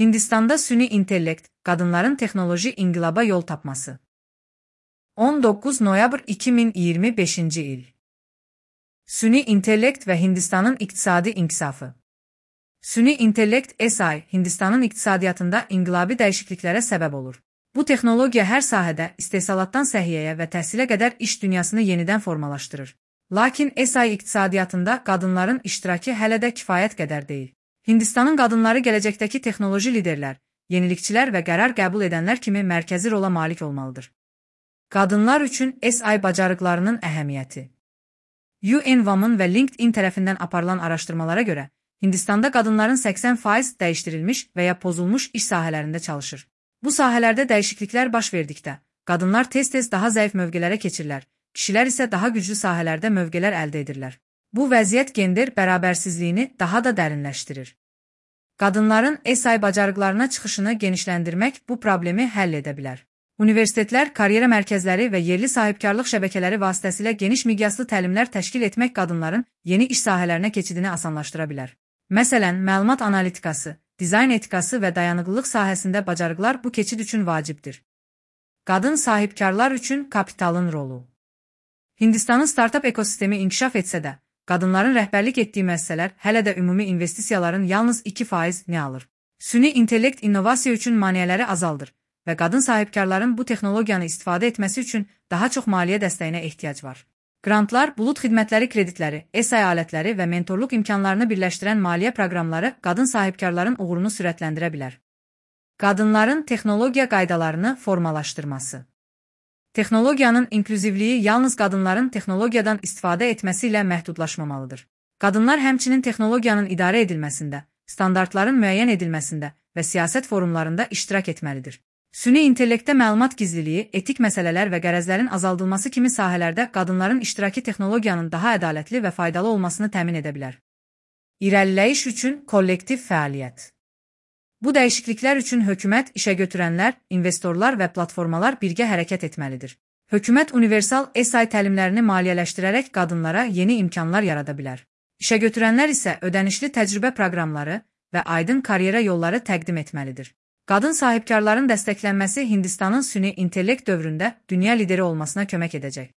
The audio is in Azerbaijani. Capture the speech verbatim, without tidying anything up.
Hindistanda süni intellekt, qadınların texnoloji inqilaba yol tapması. on doqquz noyabr iki min iyirmi beşinci il. Süni intellekt və Hindistanın iqtisadi inkişafı. Süni intellekt S I, Hindistanın iqtisadiyyatında inqilabi dəyişikliklərə səbəb olur. Bu texnologiya hər sahədə istehsalatdan səhiyyəyə və təhsilə qədər iş dünyasını yenidən formalaşdırır. Lakin S I iqtisadiyyatında qadınların iştirakı hələ də kifayət qədər deyil. Hindistanın qadınları gələcəkdəki texnoloji liderlər, yenilikçilər və qərar qəbul edənlər kimi mərkəzi rola malik olmalıdır. Qadınlar üçün S I bacarıqlarının əhəmiyyəti. U N Women və LinkedIn tərəfindən aparılan araşdırmalara görə, Hindistanda qadınların səksən faiz dəyişdirilmiş və ya pozulmuş iş sahələrində çalışır. Bu sahələrdə dəyişikliklər baş verdikdə, qadınlar tez-tez daha zəif mövqelərə keçirlər, kişilər isə daha güclü sahələrdə mövqelər əldə edirlər. Bu vəziyyət gender bərabərsizliyini daha da dərinləşdirir. Qadınların S I bacarıqlarına çıxışını genişləndirmək bu problemi həll edə bilər. Universitetlər, karyera mərkəzləri və yerli sahibkarlıq şəbəkələri vasitəsilə geniş miqyaslı təlimlər təşkil etmək qadınların yeni iş sahələrinə keçidini asanlaşdıra bilər. Məsələn, məlumat analitikası, dizayn etikası və dayanıqlılıq sahəsində bacarıqlar bu keçid üçün vacibdir. Qadın sahibkarlar üçün kapitalın rolu. Hindistanın startup ekosistemi inkişaf etsə də, qadınların rəhbərlik etdiyi müəssisələr hələ də ümumi investisiyaların yalnız iki faizini alır. Süni intellekt innovasiya üçün maneələri azaldır və qadın sahibkarların bu texnologiyanı istifadə etməsi üçün daha çox maliyyə dəstəyinə ehtiyac var. Grantlar, bulud xidmətləri kreditləri, S I alətləri və mentorluq imkanlarını birləşdirən maliyyə proqramları qadın sahibkarların uğurunu sürətləndirə bilər. Qadınların texnologiya qaydalarını formalaşdırması. Texnologiyanın inklüzivliyi yalnız qadınların texnologiyadan istifadə etməsi ilə məhdudlaşmamalıdır. Qadınlar həmçinin texnologiyanın idarə edilməsində, standartların müəyyən edilməsində və siyasət forumlarında iştirak etməlidir. Süni intellektdə məlumat gizliliyi, etik məsələlər və qərəzlərin azaldılması kimi sahələrdə qadınların iştirakı texnologiyanın daha ədalətli və faydalı olmasını təmin edə bilər. İrəliləyiş üçün kollektiv fəaliyyət. Bu dəyişikliklər üçün hökumət, işəgötürənlər, investorlar və platformalar birgə hərəkət etməlidir. Hökumət universal S I təlimlərini maliyyələşdirərək qadınlara yeni imkanlar yarada bilər. İşəgötürənlər isə ödənişli təcrübə proqramları və aydın karyera yolları təqdim etməlidir. Qadın sahibkarların dəstəklənməsi Hindistanın süni intellekt dövründə dünya lideri olmasına kömək edəcək.